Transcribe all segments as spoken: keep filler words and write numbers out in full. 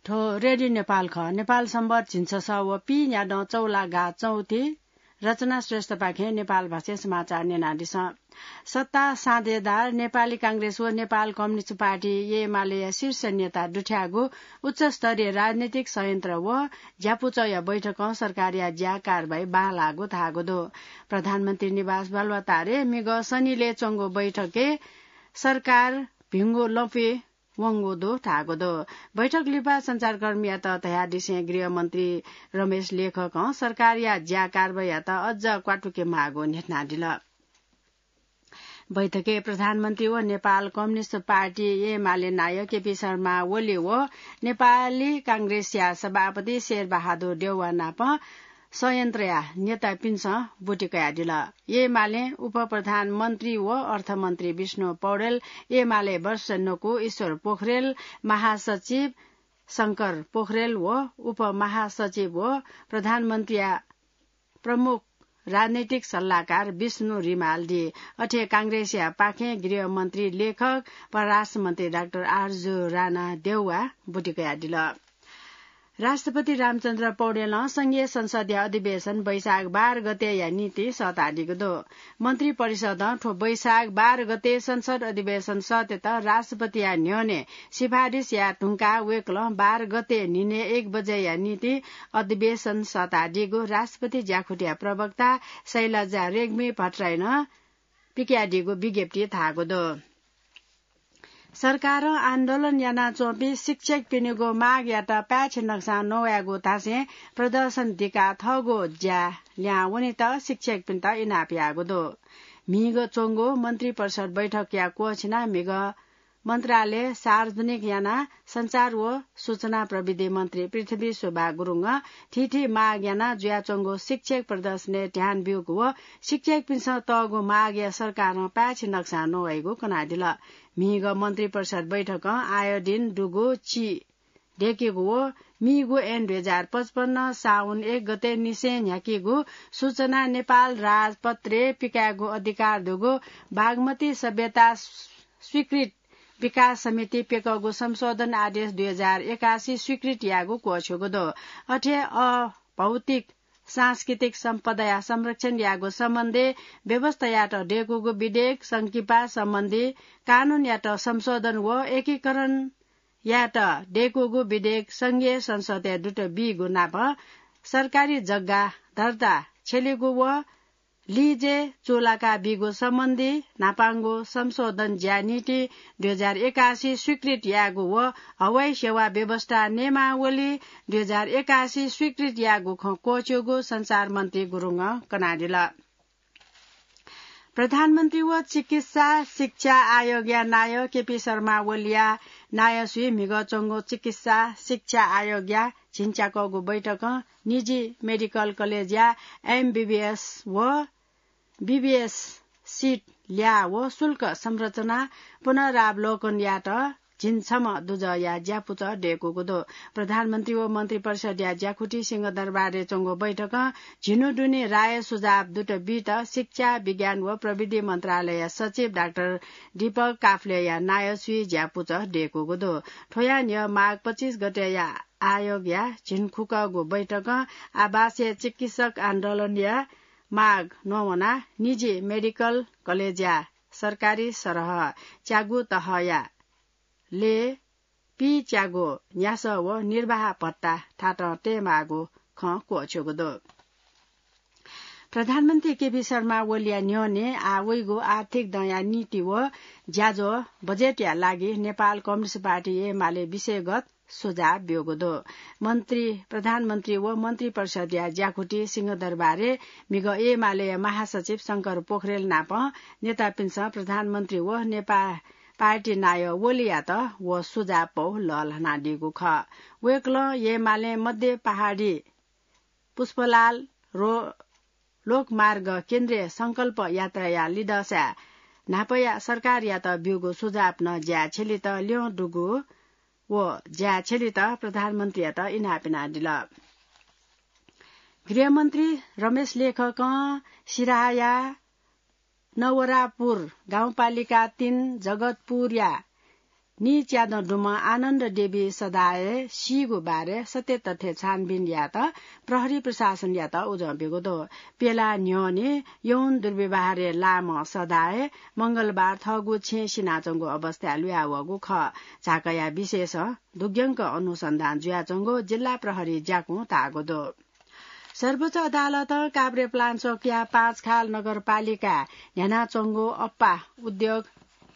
थ्व रेडियो नेपाल खः। नेपाल संवत् झिंछसः व पीन्यादँ चौलागा चौथि। रचना श्रेष्ठपाखें नेपाल भाषाय् समाचार न्यनादिसँ। सत्ता साझेदार नेपाली कांग्रेस व नेपाल कम्युनिस्ट पार्टी एमालेया शीर्ष नेता दुथ्याःगु उच्चस्तरीय राजनीतिक संयन्त्र व ज्यापुचःया बैठकं सरकारया ज्या कारवाही बांलाःगु धाःगु दु। प्रधानमन्त्री निवास बालुवाटारय् म्हिगः शनिलय् च्वंगु बैठकय् सरकार भिंगु लँपुइ वंगु दु धाःगु दु। बैठक लिपा सञ्चारकर्मीयात धयादिसें गृहमन्त्री रमेश लेखकं सरकारया ज्या कारवाहीयात अझ क्वातुके माःगु न्ह्यथनादिल। बैठकय् प्रधानमन्त्री व नेपाल कम्युनिस्ट पार्टी एमाले नायः केपी शर्मा ओली व नेपाली कांग्रेसया सभापति शेरबहादुर देउवा नाप संयन्त्रया नेतापिन्सं ब्वति कयादिल। एमालें उपप्रधानमन्त्री व अर्थमन्त्री विष्णु पौडेल, एमाले वरिष्ठ नकु ईश्वर पोखरेल, महासचिव शंकर पोखरेल व उपमहासचिव व प्रधानमन्त्रीया प्रमुख राजनैतिक सल्लाहकार विष्णु रिमाल दी। अथे कांग्रेसया पाखें गृहमन्त्री लेखक, परराष्ट्रमन्त्री डाक्टर आरजु राणा देउवा ब्वति कयादिल। राष्ट्रपति रामचन्द्र पौडेलं संघीय संसदया अधिवेशन वैशाख बाह्र गतेया निंतिं सःतादीगु दु। मन्त्री परिषदं थ्व वैशाख बाह्र गते संसद अधिवेशन सःतेत राष्ट्रपतिया न्ह्यःने सिफारिस याये धुंकाः वय्कलं बाह्र गते न्हिनय् एक बजेया निंतिं अधिवेशन सःतादीगु राष्ट्रपति ज्याखुटिया प्रवक्ता शैलजा रेग्मी भट्टराईनं पिकयादीगु विज्ञप्तिइ धाःगु दु। सरकारं आन्दोलन यानाच्वंपिं शिक्षकपिनिगु मागयात पाय्छि नकसां नवायेगु धासें प्रदर्शन दिकाः थःगु ज्या ल्याहां वनेत शिक्षकपिन्त इनाप याःगु दु। म्हिगः च्वंगु मन्त्री परिषद बैठकया क्वःछिनाः म्हिगः मन्त्रालय सार्वजनिक यानाः सञ्चार व सूचना प्रविधि मन्त्री पृथ्वी शोभा गुरुङं थीथी माग यानाः जुयाच्वंगु शिक्षक प्रदर्शनय् ध्यान ब्यूगु व शिक्षकपिन्सं तःगु मागया सरकारं पाय्छि नकसां नवाइगु कनादिल। म्हिगः मन्त्री परिषद बैठकं आयोडिन दुगु ची दय्केगु व मीगु ऐन दुई हजार पचपन्न साउन एक गते निसें न्ह्याकीगु सूचना नेपाल राजपत्रय् पिकायेगु अधिकार दुगु बागमती सभ्यता स्वीकृत विकास समिति प्यकःगु संशोधन आदेश दुई हजार एकासी स्वीकृत याःगु क्वःछ्यूगु दु। अथे अभौतिक सांस्कृतिक सम्पदाया संरक्षण याःगु सम्बन्धी व्यवस्थायात दय्कूगु विधेयक, संकिपा सम्बन्धी कानूनयात संशोधन व एकीकरण यात दय्कूगु विधेयक संघीय संसदय् दुत बीगु नाप सरकारी जग्गा दर्ता छ्यलीगु व लिजय् चूलाका बीगु सम्बन्धी न्हापांगु संशोधन ज्या निंतिं दुई हजार एकासी स्वीकृत याःगु व हवाई सेवा व्यवस्था नियमावली दुई हजार एकासी स्वीकृत याःगु खँ क्वःछ्यूगु सञ्चार मन्त्री गुरुङं कनादिल। प्रधानमन्त्री व चिकित्सा शिक्षा आयोगया नायः केपी शर्मा ओलीया नायःसुइ म्हिगः च्वंगु चिकित्सा शिक्षा आयोगया झिंच्याकःगु बैठकं निजी मेडिकल कलेजया एमबीबीएस व बीबीएस सिट ल्याः व शुल्क संरचना पुनरावलोकन यात झिंछम्ह दुजःया ज्यापुचः दय्कूगु दु। प्रधानमन्त्री व मन्त्री परिषदया ज्याखुटी सिंहदरबारय् च्वंगु बैठकं झिन्हु दुने राय सुझाव दुत बीत शिक्षा, विज्ञान व प्रविधि मन्त्रालयया सचिव डाक्टर दीपक काफ्लेया नायःसुइ ज्यापुचः दय्कूगु दु। थ्वया न्ह्यः माघ पच्चिस गतेया आयोगया झिंखुकःगु बैठकं आवासीय चिकित्सक आन्दोलनया माग नवानाः निजी मेडिकल कलेजया सरकारी सरह च्यागू तहया ले पीच्यागू न्यासः व निर्वाह भत्ता थातं तयेमाःगु खँ क्वःछ्यूगु दु। प्रधानमन्त्री केपी शर्मा ओलीया न्ह्यःने आः वइगु आर्थिक दँया नीति व ज्याझ्वः बजेटया लागि नेपाल कम्युनिस्ट पार्टी एमाले विषयगत सुझाव ब्यूगु दु। मन्त्री, प्रधानमन्त्री व मन्त्री परिषदया ज्याखुटी सिंहदरबारय् म्हिगः एमालेया महासचिव शंकर पोखरेल नाप नेतापिन्सं प्रधानमन्त्री व नेपाल पार्टी नायः ओलीयात व सुझाव पौ लःल्हानादीगु खः। वय्कलं एमालें मध्य पहाडी पुष्पलाल रो-, लोकमार्ग केन्द्रीय संकल्प यात्राया लिधंसाय् न्हापाया सरकारयात ब्यूगु सुझाव नं ज्या छ्यलेत ल्यं दुगु व ज्या छ्यलेत प्रधानमन्त्रीयात इनाप यानादिल। गृहमन्त्री रमेश लेखकं सिराहाया नवरापुर गाउँपालिका तीन जगतपुरया नीच्यादँ दुम्ह आनन्द देवी सदाय सीगु बारे सत्य तथ्य छानबिन यायेत प्रहरी प्रशासनयात उजं ब्यूगु दु। प्यला न्ह्यःने यौन दुर्व्यवहारय् लाःम्ह सदाय मंगलबार थःगु छेँय् सिनाच्वंगु अवस्थाय् लुयावःगु खः। झाकया विशेष दुग्यंक अनुसन्धान जुयाच्वंगु जिल्ला प्रहरी ज्याकुं धाःगु दु। सर्वोच्च अदालतं काभ्रेपलाञ्चोकया पाँचखाल नगरपालिकाय् न्ह्यानाच्वंगु अप्पा उद्योग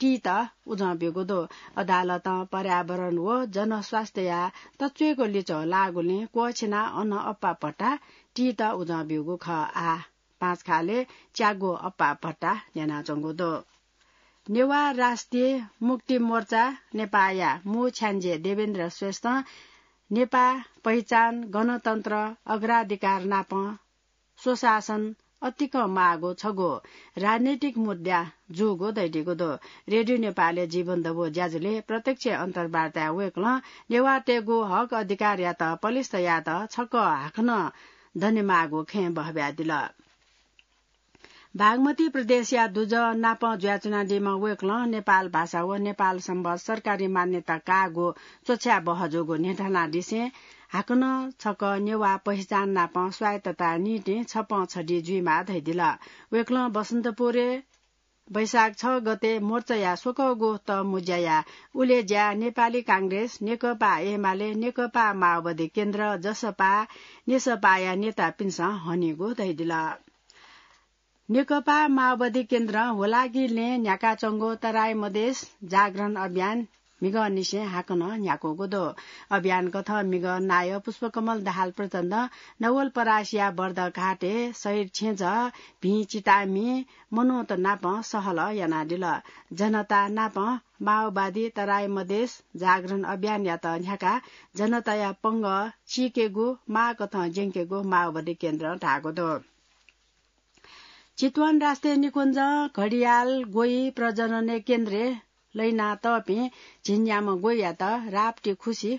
टीत उजं ब्यूगु दु। अदालतं पर्यावरण व जनस्वास्थ्यया तच्वय्गु लिच्वः लाःगुलिं क्वःछिनाः अन अप्पा भट्टा टीत उजं ब्यूगु खः। आः पाँचखालय् च्यागू अप्पा भट्टा न्ह्यानाच्वंगु दु। नेवाः राष्ट्रिय मुक्ति मोर्चा नेपाःया मू छ्याञ्जे देवेन्द्र श्रेष्ठं नेपाः पहिचान, गणतन्त्र, अग्राधिकार नाप स्वशासन अतिकं माःगु छगू राजनैतिक मुद्दा जूगु धयादीगु दु। रेडियो नेपालया जीवन दबू ज्याझ्वलय् प्रत्यक्ष अन्तर्वार्ताय् वय्कलं नेवाःतय्गु हक अधिकारयात पलिस्था यायेत छकः हाकनं दनेमाःगु खँय् बहब्यादिल। बागमती प्रदेशया दुजः नाप जुयाच्वनादीम्ह वय्कलं नेपाल भाषा व नेपाल संवत् सरकारी मान्यता काःगु च्वछाय् बहः जूगु न्ह्यथनादिसें हाकनं छकः नेवाः पहिचान नाप स्वायत्तताया निंतिं छपं छधी जुइमाः धयादिल। वय्कलं बसन्तपुरय् वैशाख छ गते मोर्चाया स्वकःगु तःमुँज्याया उलेज्या नेपाली कांग्रेस, नेकपा एमाले, नेकपा माओवादी केन्द्र, जसपा, नेसपाया नेतापिन्सं हनीगु धयादिल। नेकपा माओवादी केन्द्रं ह्वलागिलय् न्ह्याकाच्वंगु तराई मधेस जागरण अभियान म्हिगःनिसें हाकनं न्ह्याकूगु दु। अभियान कथं म्हिगः नायः पुष्पकमल दाहाल प्रचण्डं नवलपरासीया बर्दघाटय् शहीद छेँजः भिं चितामि मनूत नाप सहलह यानादिल। जनता नाप माओवादी तराई मधेस जागरण अभियानयात न्ह्याकाः जनताया पंगः चीकेगु, माःकथं ज्यंकेगु माओवादी केन्द्रं धाःगु दु। चितवन राष्ट्रिय निकुञ्जं घडियाल ग्वइ प्रजननय् केन्द्रय् लहिनातःपिं झिंन्याम्ह ग्वइयात राप्ती खुसि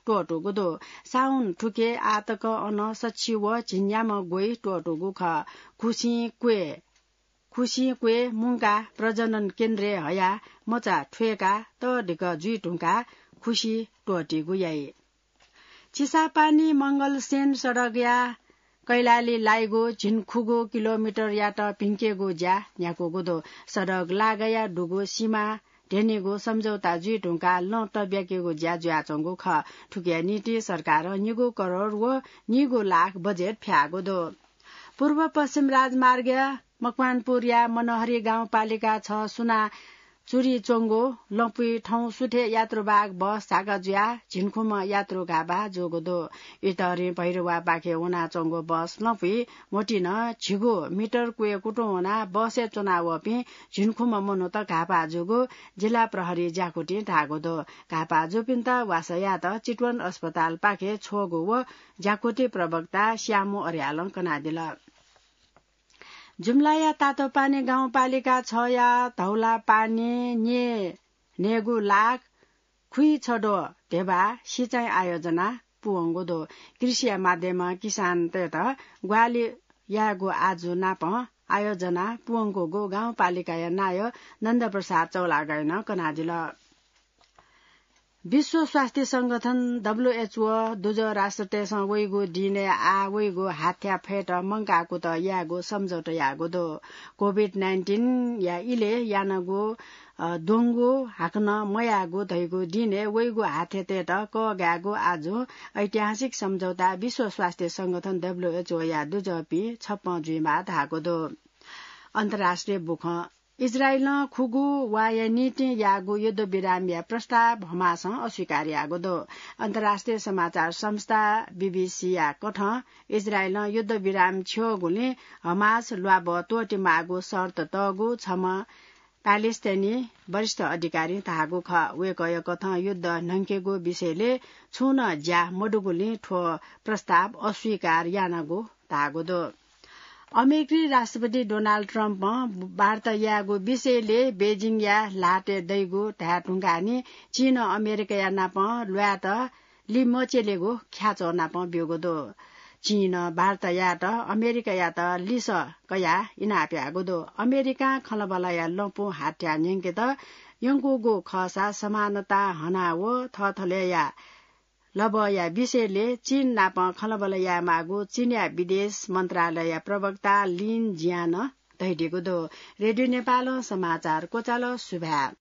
त्वःतूगु दु। साउन थुके आःतक अन सछि व झिंन्याम्ह ग्वइ त्वःतूगु खः। खुसिं क्वय्, खुसिं क्वय् मुंकाः प्रजनन केन्द्रय् हयाः मचा थ्वय्काः तःधिक जुइ धुंकाः खुसि त्वःतीगु याइ। चिसापानी मंगलसेन सडकया कैलाली लाइगु झिंखुगू किलोमिटरयात भिंकेगु ज्या न्ह्याकूगु दु। सडक लागाया दुगु सिमा ध्यनेगु सम्झौता जुइ धुंकाः लँ तब्याकेगु ज्या जुयाच्वंगु खः। थुकिया निंतिं सरकारं निगू करोड व निगू लाख बजेट फ्याःगु दु। पूर्व पश्चिम राजमार्गया मकवानपुरया मनहरी गाउँपालिका छ सुना चुरी च्वंगु लँपुइ थौं सुथय् यात्रुवाहक बस झाका जुयाः झिंखुम्ह यात्रु घाःपाः जूगु दु। इतहरिं भैरवापाखे वनाच्वंगु बस लँपुइ म्होतिं झिगू मिटर क्वय् कुतुं वनाः बसय् च्वनावःपिं झिंखुम्ह मनूत घाःपाः जूगु जिल्ला प्रहरी ज्याकुथिं धाःगु दु। घाःपाः जूपिन्त वासः यायेत चितवन अस्पतालपाखे छ्वःगु व ज्याकुथि प्रवक्ता श्यामु अर्यालं कनादिल। जुम्लाया तातोपानी गाउँपालिका छया धौलापानी न्ये न्हय्गू लाख खुइछद्वः ध्यबा सिँचाइ आयोजना पूवंगु दु। कृषिया माध्यमं किसानतय्त ग्वाहालि यायेगु आजु नाप आयोजना पूवंकूगु गाउँपालिकाया नायः नन्दप्रसाद चौलागाईनं कनादिल। विश्व स्वास्थ्य संगठन, डब्ल्युएचओ, दुजः राष्ट्रतय्सं वइगु दिनय् आः वइगु हाथ्या फयेत मंकाः कुतः यायेगु सम्झौता याःगु दु। कोभिड नाइन्टिनया इलय् यानागु, अ, द्वंगु हाकनं मयाःगु धइगु दिनय् वइगु हाथ्यातय्त कःघायेगु आजु ऐतिहासिक सम्झौता विश्व स्वास्थ्य संगठन, डब्ल्युएचओया दुजःपिं छप्पँ जुइमाः धाःगु दु। अन्तर्राष्ट्रिय बुखँ। इजरायलं खुगू वाःया निंतिं याःगु युद्धविरामया प्रस्ताव हमासं अस्वीकार याःगु दु। अन्तर्राष्ट्रिय समाचार संस्था बीबीसीया कथं इजरायलं युद्धविराम छ्यःगुलिं हमास ल्वाभः त्वःतेमाःगु शर्त तःगु छम्ह प्यालेस्टाइनी वरिष्ठ अधिकारीं धाःगु खः। वय्कःया कथं युद्ध न्हंकेगु विषयलय् छुं नं ज्या मदुगुलिं थ्व प्रस्ताव अस्वीकार यानागु धाःगु दु। अमेरिकी राष्ट्रपति डोनाल्ड ट्रम्पं वार्ता यायेगु विषयलय् बेजिङया ल्हातय् दइगु धाये धुंकाः नि चीनं अमेरिकाया नाप ल्वायेत लिमच्यलेगु ख्याच्वः नाप ब्यूगु दु। चीनं वार्ता यायेत अमेरिकायात लिसः कयाः इनाप याःगु दु। अमेरिकां खँल्हाबल्हाया लँपु हाथ्या न्यंकेत यंकूगु खःसा समानता हना व थःथलय्‌या लबःया विषयले चीन नाप खँल्हाबल्हा यायेमाःगु चीनया विदेश मन्त्रालयया प्रवक्ता लिन जियानं धयादीगु दु। रेडियो नेपालं समाचार क्वचाल। सुभाय्।